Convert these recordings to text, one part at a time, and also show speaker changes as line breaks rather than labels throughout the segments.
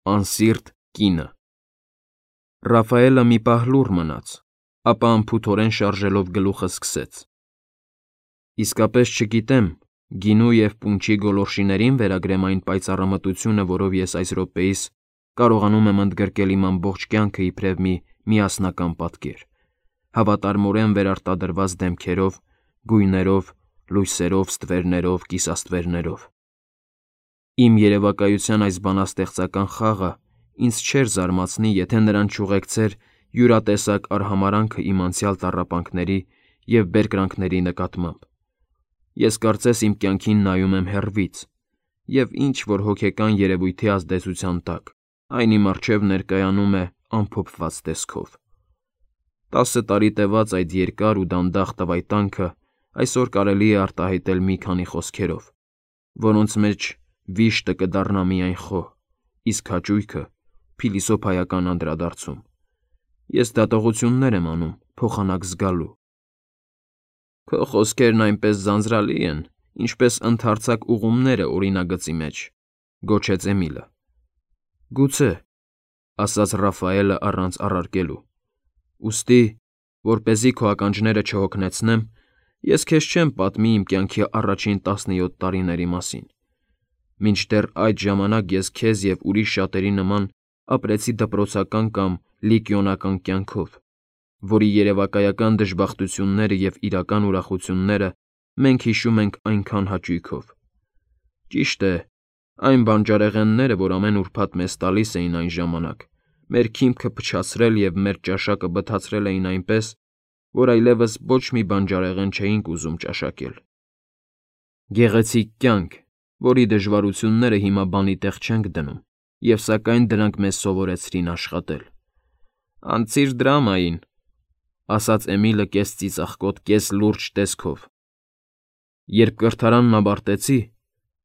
Անսիրտ կինը։ Ռաֆայելը մի պահ լուռ մնաց, ապա անփութորեն շարժելով գլուխը սկսեց. Իսկապես չգիտեմ, գինու և պունչի գոլորշիներին վերագրեմ այն պայծառամտությունը, որով ես այս րոպեիս կարողանում եմ ընդգրկել իմ ամբողջ կյանքը իբրև մի միասնական պատկեր, հավատարմորեն վերարտադրված դեմքերով, գույներով, լույսերով, ստվերներով, կիսաստվերներով։ Իմ երևակայության այս բանաստեղծական խաղը ինձ չէր զարմացնի, եթե նրան չուղեկցեր յուրատեսակ արհամարհանքը իմ անցյալ տառապանքների և բերկրանքների նկատմամբ։ Ես կարծես իմ կյանքին նայում եմ հեռվից, և ինչ-որ հոգեկան երևույթի ազդեցության տակ այն իմ առջև ներկայանում է ամփոփված տեսքով։ 10 տարի տևած այդ երկար ու դանդաղ տվայտանքը այսօր կարելի է արտահայտել մի քանի խոսքերով, որոնց մեջ վիշտը կդառնա միայն խոհ, իսկ հաճույքը՝ փիլիսոփայական անդրադարձում։ Ես դատողություններ եմ անում փոխանակ զգալու։ Քո խոսքերն այնպես ձանձրալի են, ինչպես ընդարձակ ուղումները օրինագծի մեջ, գոչեց Էմիլը։ Գուցե, ասաց Ռաֆայելը առանց առարկելու։ Ուստի, որպեսզի քո ականջները չհոգնեցնեմ, ես քեզ չեմ պատմի իմ կյանքի առաջին 17 տարիների մասին։ Մինչդեռ այդ ժամանակ ես քեզ և ուրիշ շատերի նման ապրեցի դպրոցական կամ լիկիոնական կյանքով, որի երևակայական դժբախտությունները և իրական ուրախությունները մենք հիշում ենք այնքան հաճույքով։ Ճիշտ է, այն բանջարեղենները, որ ամեն ուրբաթ մեզ տալիս էին այն ժամանակ, մեր քիմքը փչացրել և մեր ճաշակը բթացրել էին այնպես, որ այլևս ոչ մի բանջարեղեն չէինք ուզում ճաշակել։ Գեղեցիկ կյանք, որի դժվարությունները հիմա բանի տեղ չենք դնում, և սակայն դրանք մեզ սովորեցրին աշխատել։ Անցիր դրամային, ասաց Էմիլը կես ծիծաղկոտ, կես լուրջ տեսքով։ Երբ կրթարանն ավարտեցի,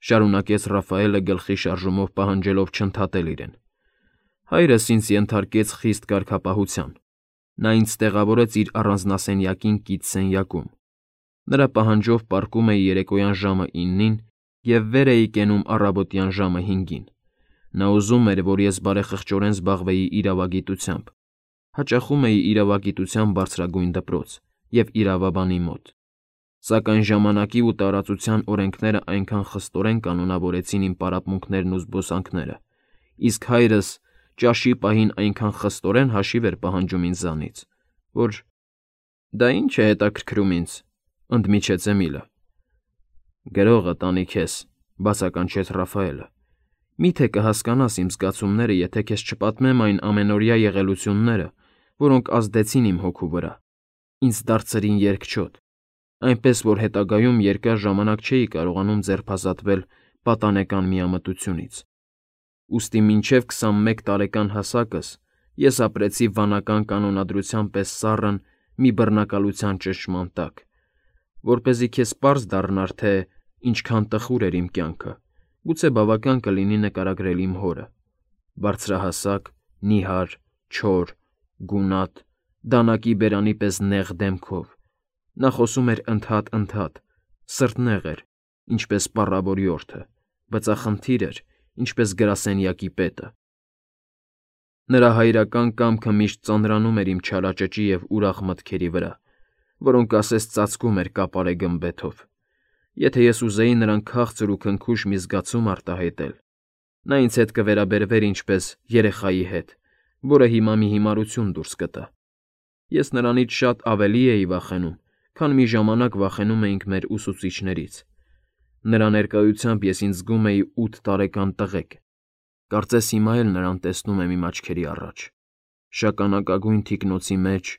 շարունակեց Ռաֆայելը գլխի շարժումով պահանջելով չընդհատել իրեն, հայրս ինձ ենթարկեց խիստ կարգապահության։ Նա ինձ տեղավորեց իր առանձնասենյակին կից սենյակում։ Նրա պահանջով պառկում էի երեկոյան ժամը 9-ին և վեր էի կենում առավոտյան ժամը 5-ին։ Նա ուզում էր, որ ես բարեխղճորեն զբաղվեի իրավագիտությամբ, հաճախում էի իրավագիտության բարձրագույն դպրոց և իրավաբանի մոտ։ Սակայն ժամանակի ու տարածության օրենքները այնքան խստորեն կանոնավորեցին իմ պարապմունքներն ու զբոսանքները, իսկ հայրս ճաշի պահին այնքան խստորեն հաշիվ էր պահանջում ինձանից, որ… Դա ի՞նչ է հետաքրքրում ինձ, ընդմիջեց Էմիլը։ Գրողը տանի քեզ, բացականչեց Ռաֆայելը։ Միթե կհասկանաս իմ զգացումները, եթե քեզ չպատմեմ այն ամենօրյա եղելությունները, որոնք ազդեցին իմ հոգու վրա, ինձ դարձրին երկչոտ, այնպես որ հետագայում երկար ժամանակ չէի կարողանում ձերբազատվել պատանեկան միամտությունից։ Ուստի մինչև 21 տարեկան հասակս ես ապրեցի վանական կանոնադրության պես սառն մի բռնակալության ճնշման տակ, որպեսզի քեզ պարզ դառնար, թե ինչքան տխուր էր իմ կյանքը, գուցե բավական կլինի նկարագրել իմ հորը. բարձրահասակ, նիհար, չոր, գունատ, դանակի բերանի պես նեղ դեմքով։ Նա խոսում էր ընդհատ, սրտնեղ էր, ինչպես պառավորիորդը, բծախնդիր էր, ինչպես գրասենյակի պետը։ Նրա հայրական կամքը միշտ ծանրանում էր իմ չարաճճի և ուրախ մտքերի վրա, որոնք ասես ծածկում էր կապարե գմբեթով։ Եթե ես ուզեի նրան քաղցր ու քնքուշ մի զգացում արտահայտել, նա ինձ հետ կվերաբերվեր ինչպես երեխայի հետ, որը հիմա մի հիմարություն դուրս կտա։ Ես նրանից շատ ավելի էի վախենում, քան մի ժամանակ վախենում էինք մեր ուսուցիչներից։ Նրա ներկայությամբ ես ինձ զգում էի 8 տարեկան տղեկ։ Կարծես հիմա էլ նրան տեսնում եմ իմ աչքերի առաջ, շագանակագույն թիկնոցի մեջ,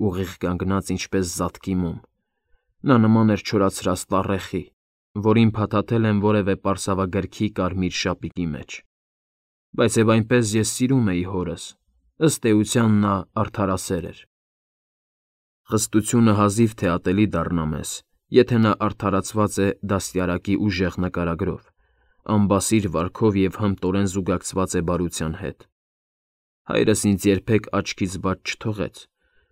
ուղիղ կանգնած ինչպես զատկի մոմ։ Նա նման էր չորացրած տառեխի, որին փաթաթել են որևէ պարսավագրքի կարմիր շապիկի մեջ։ Բայց և այնպես ես սիրում էի հորս, ըստ էության նա արդարասեր էր։ Խստությունը հազիվ թե ատելի դառնա մեզ, եթե նա արդարացված է դաստիարակի ուժեղ նկարագրով, անբասիր վարքով և հմտորեն զուգակցված է բարության հետ։ Հայրս ինձ երբեք աչքից բաց չթողեց,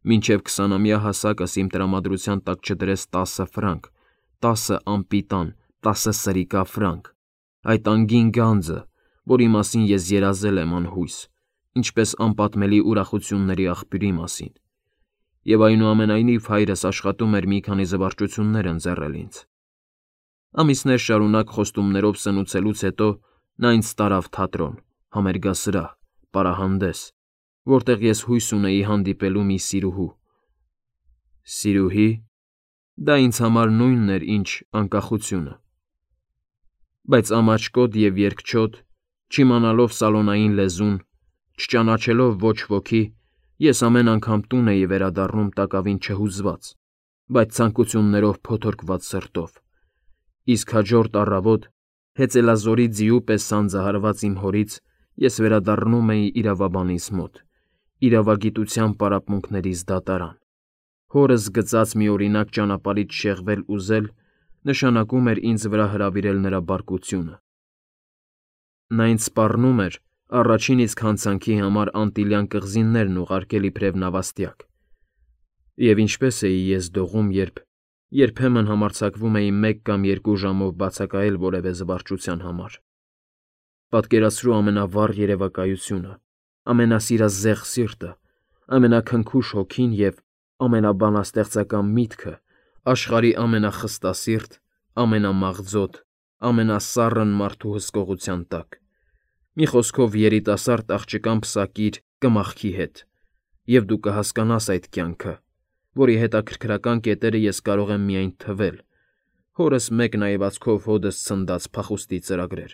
մինչև 20-ամյա հասակս իմ տրամադրության տակ չդրեց 10 ֆրանկ, 10 անպիտան, 10 սրիկա ֆրանկ, այդ անգին գանձը, որի մասին ես երազել եմ անհույս, ինչպես անպատմելի ուրախությունների աղբյուրի մասին, և այնուամենայնիվ հայրս աշխատում էր մի քանի զվարճություններ ընձեռել ինձ։ Ամիսներ շարունակ խոստումներով սնուցելուց հետո նա ինձ տարավ թատրոն, համերգասրահ, պարահանդես, որտեղ ես հույս ունեի հանդիպելու մի սիրուհու։ Սիրուհի։ Դա ինձ համար նույնն էր, ինչ անկախությունը։ Բայց ամաչկոտ և երկչոտ, չիմանալով սալոնային լեզուն, չճանաչելով ոչ ոքի, ես ամեն անգամ տուն էի վերադառնում տակավին չհուզված, բայց ցանկություններով փոթորկված սրտով, իսկ հաջորդ առավոտ, հեծելազորի ձիու պես սանձահարված իմ հորից, ես վերադառնում էի իրավաբանիս մոտ, իրավագիտության պարապմունքներիս դատարան։ Հորս գծած մի օրինակ ճանապարհից շեղվել ուզել նշանակում էր ինձ վրա հրավիրել նրա բարկությունը։ Նա ինձ սպառնում էր առաջին իսկ հանցանքի համար անտիլյան կղզիներն ուղարկել իբրև նավաստիակ։ Եվ ինչպես էի ես դողում, երբ երբեմն համարձակվում էի 1 կամ 2 ժամով բացակայել որևէ զվարճության համար։ Պատկերացրու ամենավառ երևակայությունը, ամենասիրազեղ սիրտը, ամենաքնքուշ հոգին և ամենաբանաստեղծական միտքը աշխարհի ամենախստասիրտ, ամենամաղձոտ, ամենասառն մարդու հսկողության տակ։ Մի խոսքով երիտասարդ աղջկան պսակիր կմախքի հետ, և դու կհասկանաս այդ կյանքը, որի հետաքրքրական կետերը ես կարող եմ միայն թվել, հորս մեկ նայվածքով հօդս ցնդած փախուստի ծրագրեր,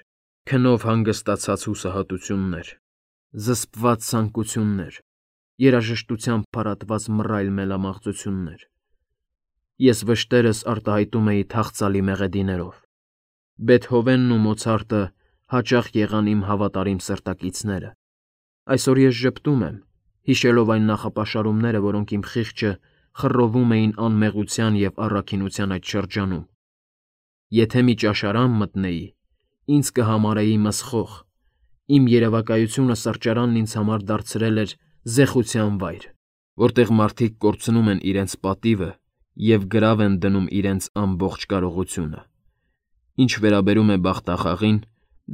քնով հանգստացած հուսահատություններ, զսպված ցանկություններ, երաժշտությամբ փարատված մռայլ մելամաղձություններ։ Ես վշտերս արտահայտում էի թախծալի մեղեդիներով։ Բեթհովենն ու Մոցարտը հաճախ եղան իմ հավատարիմ սրտակիցները։ Այսօր ես ժպտում եմ, հիշելով այն նախապաշարումները, որոնք իմ խիղճը խռովում էին անմեղության և առաքինության այդ շրջանում։ Եթե մի ճաշարան մտնեի, ինձ կհամարեի մսխող, իմ երևակայությունը սրճարանն ինձ համար դարձրել էր զեխության վայր, որտեղ մարդիկ կորցնում են իրենց պատիվը և գրավ են դնում իրենց ամբողջ կարողությունը։ Ինչ վերաբերում է բախտախաղին,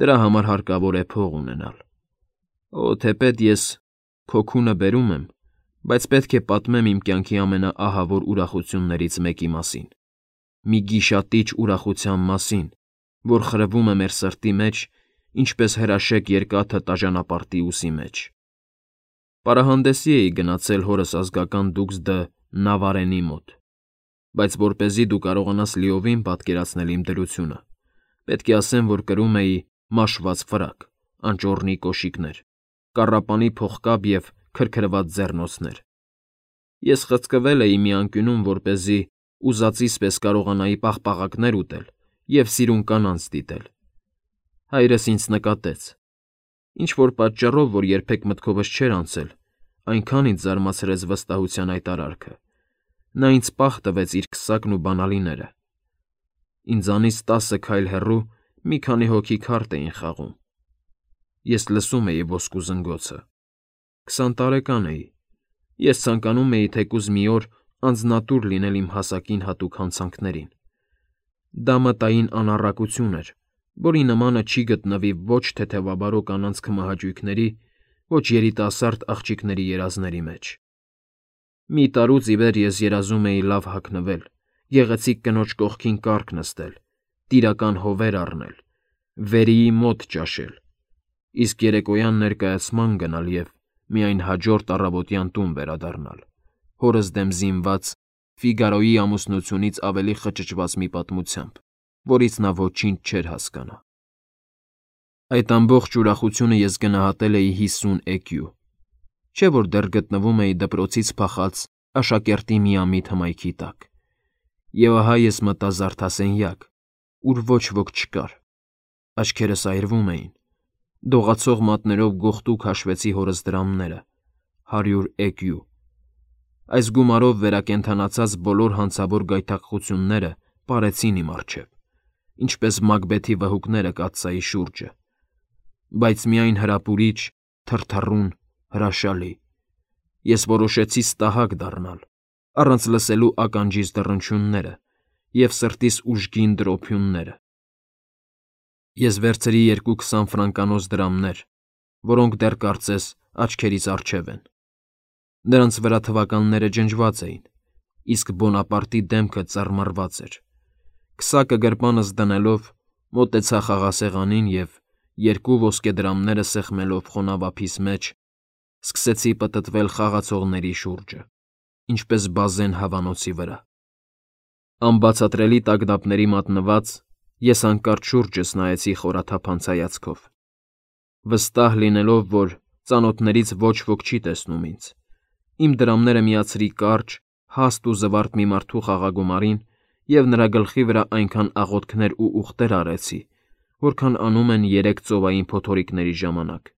դրա համար հարկավոր է փող ունենալ։ Օ, թեպետ ես քո քունը բերում եմ, բայց պետք է պատմեմ իմ կյանքի ամենաահավոր ուրախություններից մեկի մասին, մի գիշատիչ ուրախության մասին, որ խրվում է մեր սրտի մեջ, ինչպես հրաշեկ երկաթը տաժանապարտի ուսի մեջ։ Պարահանդեսի էի գնացել հորս ազգական դուքս դը Նավարենի մոտ, բայց որպեսզի դու կարողանաս լիովին պատկերացնել իմ դրությունը, պետք է ասեմ, որ կրում էի մաշված ֆրակ, անճոռնի կոշիկներ, կառապանի փողկապ և քրքրված ձեռնոցներ։ Ես խցկվել էի մի անկյունում, որպեսզի ուզածիս պես կարողանայի պաղպաղակներ ուտել և սիրուն կանանց դիտել։ Հայրս ինձ նկատեց։ Ինչ-որ պատճառով, որ երբեք մտքովս չէր անցել, այնքան ինձ զարմացրեց վստահության այդ արարքը։ Նա ինձ պահ տվեց իր քսակն ու բանալիները։ Ինձանից 10 քայլ հեռու մի քանի հոգի քարտ էին խաղում։ Ես լսում էի ոսկու զնգոցը։ 20 տարեկան էի։ Ես ցանկանում էի թեկուզ մի օր անձնատուր լինել իմ հասակին հատուկ հանցանքներին։ Դա մտային անառակություն էր, որի նմանը չի գտնվի ոչ թեթևաբարո կանանց քմահաճույքների, ոչ երիտասարդ աղջիկների երազների մեջ։ Մի տարուց ի վեր ես երազում էի լավ հագնվել, գեղեցիկ կնոջ կողքին կառք նստել, տիրական հովեր առնել, վերիի մոտ ճաշել, իսկ երեկոյան ներկայացման գնալ և միայն հաջորդ առավոտյան տուն վերադառնալ, հորս դեմ զինված Ֆիգարոյի ամուսնությունից ավելի խճճված մի պատմությամբ, որից նա ոչինչ չէր հասկանա։ Այդ ամբողջ ուրախությունը ես գնահատել էի 50 էկյու, չէ՞ որ դեռ գտնվում էի դպրոցից փախած աշակերտի միամիտ հմայքի տակ։ Եվ ահա ես մտա զարդասենյակ, ուր ոչ ոք չկար։ Աչքերս այրվում էին։ Դողացող մատներով գողտուկ հաշվեցի հորս դրամները՝ 100 էկյու։ Այս գումարով վերակենդանացած բոլոր հանցավոր գայթակղությունները պարեցին իմ առջև, ինչպես Մակբեթի վհուկները կաթսայի շուրջը, բայց միայն հրապուրիչ, թրթռուն, հրաշալի։ Ես որոշեցի ստահակ դառնալ, առանց լսելու ականջիս դռնչյունները և սրտիս ուժգին տրոփյունները։ Ես վերցրի 2-20 ֆրանկանոց դրամներ, որոնք դեռ կարծես աչքերից առջև են։ Նրանց վրա թվականները ջնջված էին, իսկ Բոնապարտի դեմքը ծռմռված էր։ Քսակը գրպանս դնելով մոտեցա խաղասեղանին և, 2 ոսկե դրամները սեղմելով խոնավ ափիս մեջ, սկսեցի պտտվել խաղացողների շուրջը, ինչպես բազեն հավանոցի վրա։ Անբացատրելի տագնապների մատնված, ես հանկարծ շուրջս նայեցի խորաթափանց հայացքով, վստահ լինելով, որ ծանոթներից ոչ ոք չի տեսնում ինձ։ Իմ դրամները միացրի կարճ, հաստ ու զվարթ մի մարդու խաղագումարին և նրա գլխի վրա այնքան աղոթքներ ու ուղտեր արեցի, որքան անում են 3 ծովային փոթորիկների ժամանակ։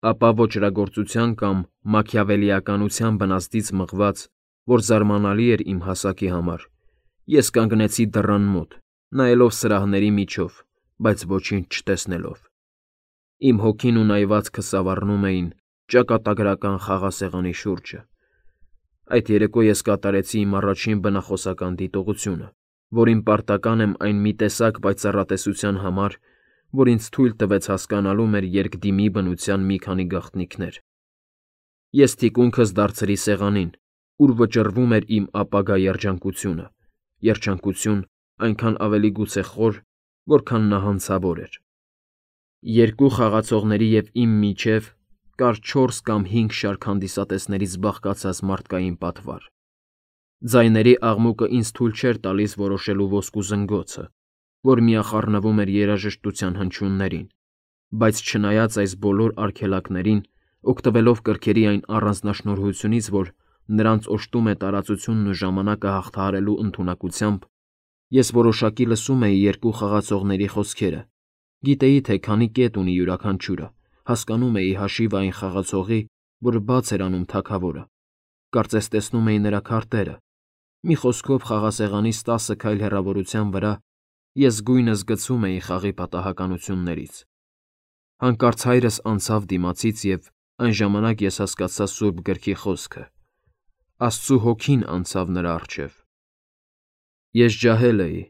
Ապա ոճրագործության կամ մաքիավելիականության բնազդից մղված, որ զարմանալի էր իմ հասակի համար, ես կանգնեցի դռան մոտ, նայելով սրահների միջով, բայց ոչինչ չտեսնելով։ Իմ հոգին ու նայվածքը սավառնում էին ճակատագրական խաղասեղանի շուրջը։ Այդ երեկո ես կատարեցի իմ առաջին բնախոսական դիտողությունը, որին պարտական եմ այն մի տեսակ պայծառատեսության համար, որ ինձ թույլ տվեց հասկանալու մեր երկդիմի բնության մի քանի գաղտնիքներ։ Ես թիկունքս դարձրի սեղանին, ուր վճռվում էր իմ ապագա երջանկությունը, երջանկություն այնքան ավելի գուցե խոր, որքան նահանցավոր էր։ 2 խաղացողների և իմ միջև կար 4 կամ 5 շարք հանդիսատեսներից բաղկացած մարդկային պատվար։ Ձայների աղմուկը ինձ թույլ չէր տալիս որոշելու ոսկու զնգոցը, որ միախառնվում էր երաժշտության հնչյուններին, բայց չնայած այս բոլոր արգելակներին, օգտվելով կրքերի այն առանձնաշնորհությունից, որ նրանց օժտում է տարածությունն ու ժամանակը հաղթահարելու ընդունակությամբ, ես որոշակի լսում էի 2 խաղացողների խոսքերը, գիտեի, թե քանի կետ ունի յուրաքանչյուրը, հասկանում էի հաշիվը այն խաղացողի, որ բաց էր անում թագավորը, կարծես տեսնում էի նրա քարտերը, մի խոսքով խաղասեղանից 10 քայլ հեռավորության վրա ես գույնս գցում էի խաղի պատահականություններից։ Հանկարծ հայրս անցավ դիմացից և այն ժամանակ ես հասկացա սուրբ գրքի խոսքը. Աստծու հոգին անցավ նրա առջև։ Ես ջահել էի։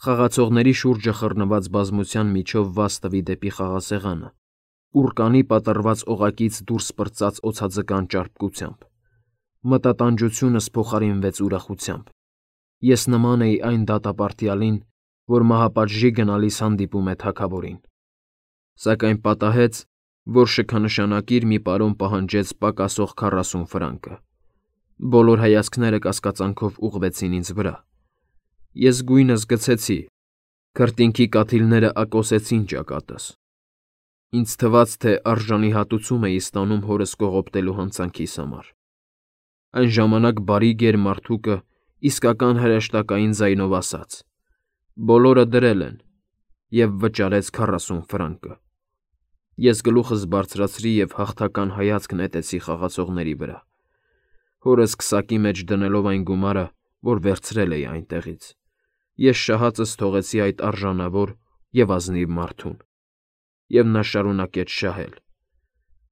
Խաղացողների շուրջը խռնված բազմության միջով վազ տվի դեպի խաղասեղանը, ուռկանի պատռված օղակից դուրս պրծաց օձաձկան ճարպկությամբ։ Մտատանջությունս փոխարինվեց ուրախությամբ։ Ես նման էի այն դատապարտյալին, որ մահապատժի գնալիս հանդիպում է թագավորին։ Սակայն պատահեց, որ շքանշանակիր մի պարոն պահանջեց պակասող 40 ֆրանկը։ Բոլոր հայացքները կասկածանքով ուղղվեցին ինձ վրա։ Ես գույնս գցեցի, քրտինքի կաթիլները ակոսեցին ճակատս։ Ինձ թվաց, թե արժանի հատուցում էի ստանում հորս կողոպտելու հանցանքիս համար։ Այն ժամանակ բարի գեր մարդուկը իսկական հրեշտակային ձայնով ասաց. «Բոլորը դրել են» և վճարեց 40 ֆրանկը։ Ես գլուխս բարձրացրի և հաղթական հայացք նետեցի խաղացողների վրա, հորս քսակի մեջ դնելով այն գումարը, որ վերցրել էի այնտեղից։ Ես շահածս թողեցի այդ արժանավոր և ազնիվ մարդուն, և նա շարունակեց շահել։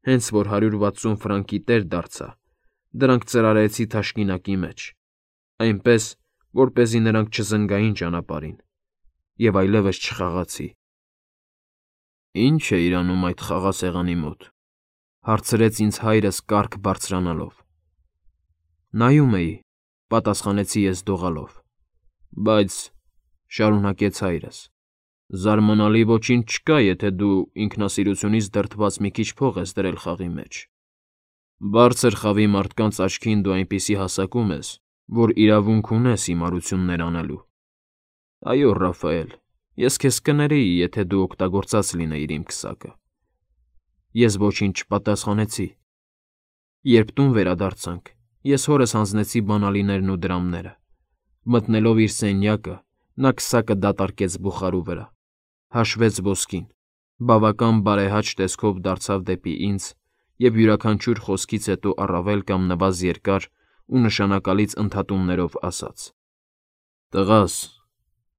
Հենց որ 160 ֆրանկի տեր դարձա, դրանք ծրարեցի թաշկինակի մեջ, այնպես, որպեսզի նրանք չզնգային ճանապարհին, և այլևս չխաղացի։ «Ի՞նչ էիր անում այդ խաղասեղանի մոտ», հարցրեց ինձ հայրս կառք բարձրանալով։ «Նայում էի», պատասխանեցի ես դողալով։ «Բայց,֊ շարունակեց հայրս,֊ զարմանալի ոչինչ չկա, եթե դու ինքնասիրությունից դրդված մի քիչ փող ես դրել խաղի մեջ։ Բարձր խավի մարդկանց աչքին դու այնպիսի հասակում ես, որ իրավունք ունես հիմարություններ անելու։ Այո, Ռաֆայել, ես քեզ կներեի, եթե դու օգտագործած լինեիր իմ քսակը»։ Ես ոչինչ չպատասխանեցի։ Երբ տուն վերադարձանք, ես հորս հանձնեցի բանալիներն ու դրամները։ Մտնելով իր սենյակը, նա քսակը դատարկեց բուխարու վրա, հաշվեց ոսկին, բավական բարեհաճ տեսքով դարձավ դեպի ինձ և յուրաքանչյուր խոսքից հետո առավել կամ նվազ երկար ու նշանակալից ընդհատումներով ասաց. «Տղաս,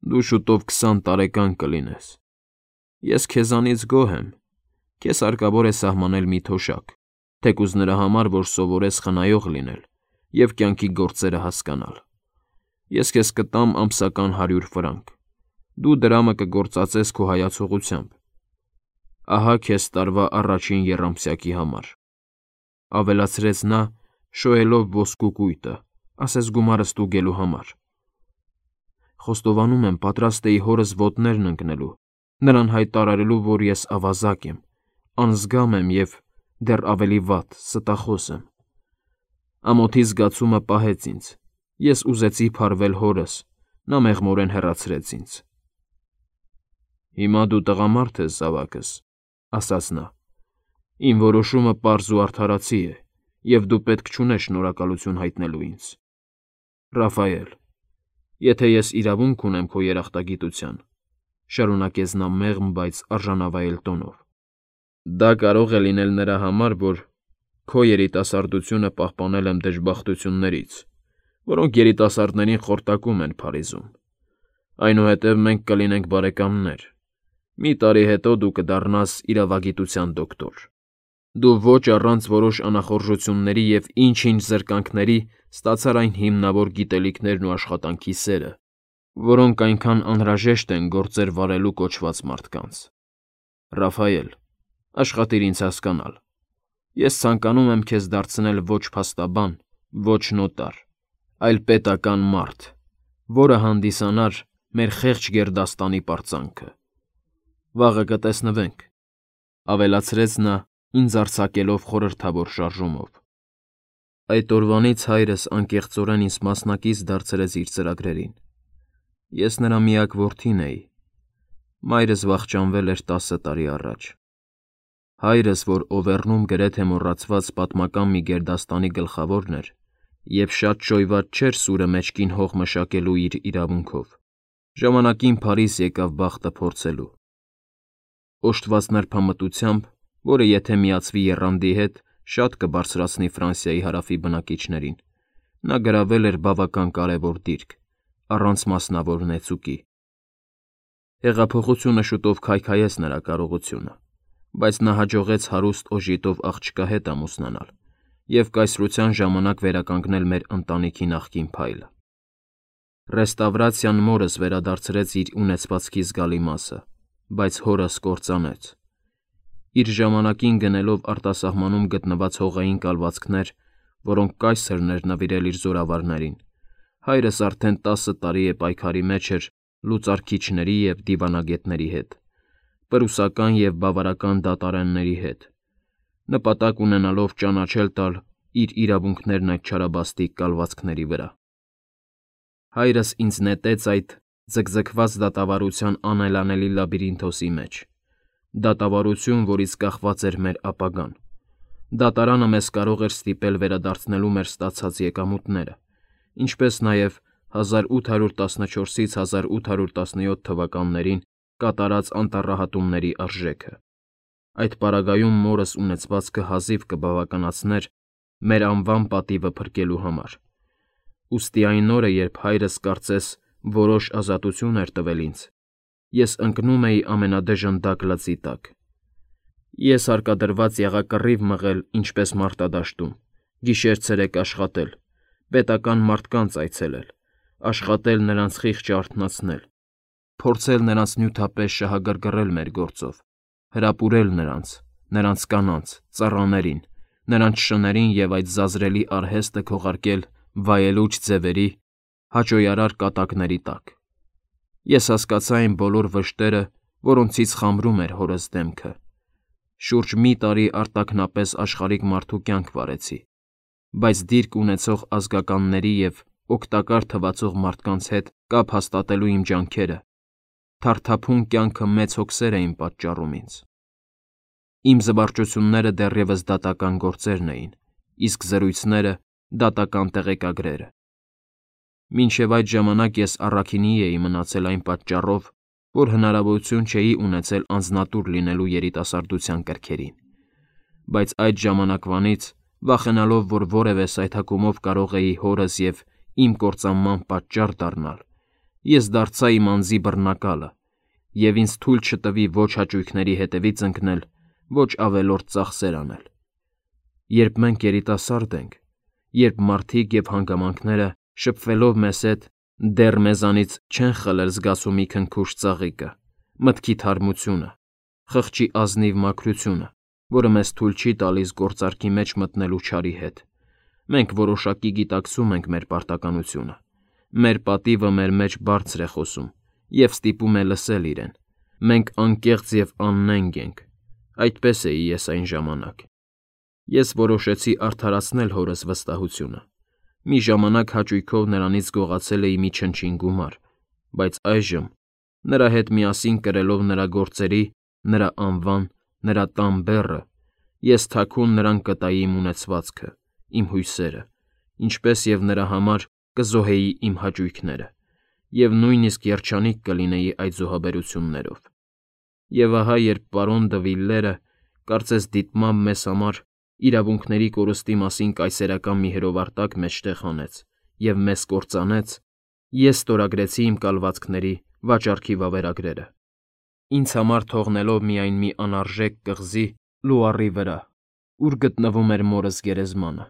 դու շուտով 20 տարեկան կլինես։ Ես քեզանից գոհ եմ։ Քեզ հարկավոր է սահմանել մի թոշակ, թեկուզ նրա համար, որ սովորես խնայող լինել և կյանքի գործերը հասկանալ։ Ես քեզ կտամ ամսական 100 ֆրանկ։ դու դրամը կգործածես քո հայացողությամբ։ Ահա քեզ տարվա առաջին եռամսյակի համար, ավելացրեց նա, շոյելով ոսկու կույտը, ասես գումարը ստուգելու համար։ Խոստովանում եմ, պատրաստ էի հորս ոտներն ընկնելու, նրան հայտարարելու, որ ես ավազակ եմ, անզգամ եմ և դեռ ավելի վատ, ստախոս եմ։ Ամոթի զգացումը պահեց ինձ, ես ուզեցի փարվել հորս, նա մեղմորեն հեռացրեց ինձ։ Հիմա դու տղամարդ ես, զավակս, ասաց նա, իմ որոշումը պարզ ու արդարացի է, և դու պետք չունես շնորհակալություն հայտնելու ինձ։ Ռաֆայել, եթե ես իրավունք ունեմ քո երախտագիտության, շարունակեց նա մեղմ, բայց արժանավայել տոնով, դա կարող է լինել նրա համար, որ քո երիտասարդությունը պահպանել եմ դժբախտություններից, որոնք երիտասարդներին խորտակում են Փարիզում։ Այնուհետև մենք կլինենք բարեկամներ։ Մի տարի հետո դու կդառնաս իրավագիտության դոկտոր։ Դու ոչ առանց որոշ անախորժությունների և ինչ-ինչ զրկանքների ստացար այն հիմնավոր գիտելիքներն ու աշխատանքի սերը, որոնք այնքան անհրաժեշտ են գործեր վարելու կոչված մարդկանց։ Ռաֆայել, աշխատիր ինձ հասկանալ։ Ես ցանկանում եմ քեզ դարձնել ոչ փաստաբան, ոչ նոտար, այլ պետական մարդ, որը հանդիսանար մեր խեղճ գերդաստանի պարծանքը։ Վաղը կտեսնվենք, ավելացրեց նա, ինձ արձակելով խորհրդավոր շարժումով։ Այդ օրվանից հայրս անկեղծորեն ինձ մասնակից դարձրեց իր ծրագրերին։ Ես նրա միակ որդին էի։ Մայրս վախճանվել էր 10 տարի առաջ։ Հայրս, որ Օվերնում գրեթե մոռացված պատմական մի գերդաստանի գլխավորն էր, և շատ շոյված չէր սուրը մեջքին հող մշակելու իր իրավունքով, ժամանակին Փարիզ եկավ բախտը փորձելու։ Օժտված նրբամտությամբ, որը եթե միացվի եռանդի հետ, շատ կբարձրացնի Ֆրանսիայի հարավի բնակիչներին, նա գրավել էր բավական կարևոր դիրք, առանց մասնավոր նեցուկի։ Հեղափոխությունը շուտով քայքայեց նրա կարողությունը, բայց նա հաջողեց հարուստ օժիտով աղջկա հետ ամուսնանալ և կայսրության ժամանակ վերականգնել մեր ընտանիքի նախկին փայլը։ Ռեստավրացիան մորս վերադարձրեց իր ունեցվածքի զգալի մասը, բայց հորս կործանեց։ Իր ժամանակին գնելով արտասահմանում գտնված հողային կալվածքներ, որոնք կայսրն էր նվիրել իր զորավարներին, հայրս արդեն 10 տարի է պայքարի մեջ էր լուծարքիչների և դիվանագետների հետ, պրուսական և բավարական դատարանների հետ, նպատակ ունենալով ճանաչել տալ իր իրավունքներն այդ չարաբաստիկ կալվածքների վրա։ Հայրս ինձ նետեց այդ ձգձգված դատավարության անելանելի լաբիրինթոսի մեջ, դատավարություն, որից կախված էր մեր ապագան։ Դատարանը մեզ կարող էր ստիպել վերադարձնելու մեր ստացած եկամուտները, ինչպես նաև 1814-ից 1817 թվականներին կատարած անտառահատումների արժեքը։ Այդ պարագայում մորս ունեցվածքը հազիվ կբավականացներ մեր անվան պատիվը փրկելու համար։ Ուստի այն օրը, երբ հայրս կարծես որոշ ազատություն էր տվել ինձ, ես ընկնում էի ամենադժնդակ լծի տակ։ Ես հարկադրված եղա կռիվ մղել ինչպես մարտադաշտում, գիշեր-ցերեկ աշխատել, պետական մարդկանց այցելել, աշխատել նրանց խիղճը արթնացնել, փորձել նրանց նյութապես շահագրգռել մեր գործով, հրապուրել նրանց կանանց, ծառաներին, նրանց շներին և այդ զազրելի արհեստը քողարկել վայելուչ ձևերի, հաճոյարար կատակների տակ։ Ես հասկացա այն բոլոր վշտերը, որոնցից խամրում էր հորս դեմքը։ Շուրջ մի տարի արտաքնապես աշխարհիկ մարդու կյանք վարեցի, բայց դիրք ունեցող ազգականների և օգտակար թվացող մարդկանց հետ կապ հաստատելու իմ ջանքերը թարթափուն կյանքը մեծ հոգսեր էին պատճառում ինձ։ Իմ զվարճությունները դեռևս դատական գործերն էին, իսկ զրույցները դատական տեղեկագրերը։ Մինչև այդ ժամանակ ես առաքինի էի մնացել այն պատճառով, որ հնարավորություն չէի ունեցել անձնատուր լինելու երիտասարդության կրքերին, բայց այդ ժամանակվանից, վախենալով, որ որևէ սայթաքումով կարող էի հորս և իմ կործանման պատճառ դառնալ, ես դարձա իմ անձի բռնակալը, և ինձ թույլ չտվի ոչ հաճույքների հետևից ընկնել, ոչ ավելորդ ծախսեր անել։ Երբ մենք երիտասարդ ենք, երբ մարդիկ և հանգամանքները շփվելով մեզ հետ Դեռ մեզանից չեն խլել զգացումի քնքուշ ծաղիկը, մտքի թարմությունը, խղճի ազնիվ մաքրությունը, որը մեզ թույլ չի տալիս գործարքի մեջ մտնելու չարի հետ։ Մենք որոշակի գիտակցում ենք մեր պարտականությունը։ Մեր պատիվը մեր մեջ բարձր է խոսում և ստիպում է լսել իրեն։ Մենք անկեղծ և աննենգ ենք։ Այդպես էի ես այն ժամանակ։ Ես որոշեցի արդարացնել հորս վստահությունը։ Մի ժամանակ հաճույքով նրանից գողացել էի մի չնչին գումար, բայց այժմ, նրա հետ միասին կրելով նրա գործերի, նրա անվան, նրա տան բեռը, ես թաքուն նրան կտայի իմ ունեցվածքը, իմ հույսերը, ինչպես և նրա համար կզոհեի իմ հաճույքները, և նույնիսկ երջանիկ կլինեի այդ զոհաբերություններով։ Եվ ահա երբ պարոն Դը Վիլլերը, կարծես դիտմամբ մեզ համար իրավունքների կորստի մասին կայսերական մի հրովարտակ մեջտեղ հանեց և մեզ կործանեց, ես ստորագրեցի իմ կալվածքների վաճառքի վավերագրերը, ինձ համար թողնելով միայն մի անարժեք կղզի Լուարի վրա, ուր գտնվում էր մորս գերեզմանը։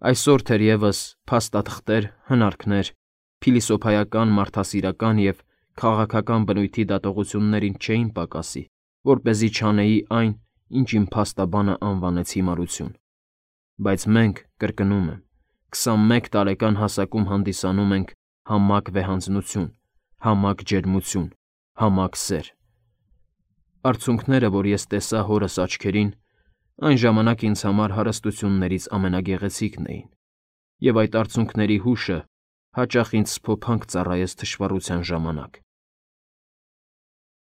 Այսօր թերևս փաստաթղթեր, հնարքներ, փիլիսոփայական, մարդասիրական և քաղաքական բնույթի դատողություններ ինձ չէին պակասի, որպեսզի չանեի այն, ինչ իմ փաստաբանը անվանեց հիմարություն։ Բայց մենք, կրկնում եմ, 21 տարեկան հասակում հանդիսանում ենք համակ վեհանձնություն, համակ ջերմություն, համակ սեր։ Արցունքները, որ ես տեսա հորս աչքերին, այն ժամանակ ինձ համար հարստություններից ամենագեղեցիկն էին, և այդ արցունքների հուշը հաճախ ինձ սփոփանք ծառայեց թշվառության ժամանակ։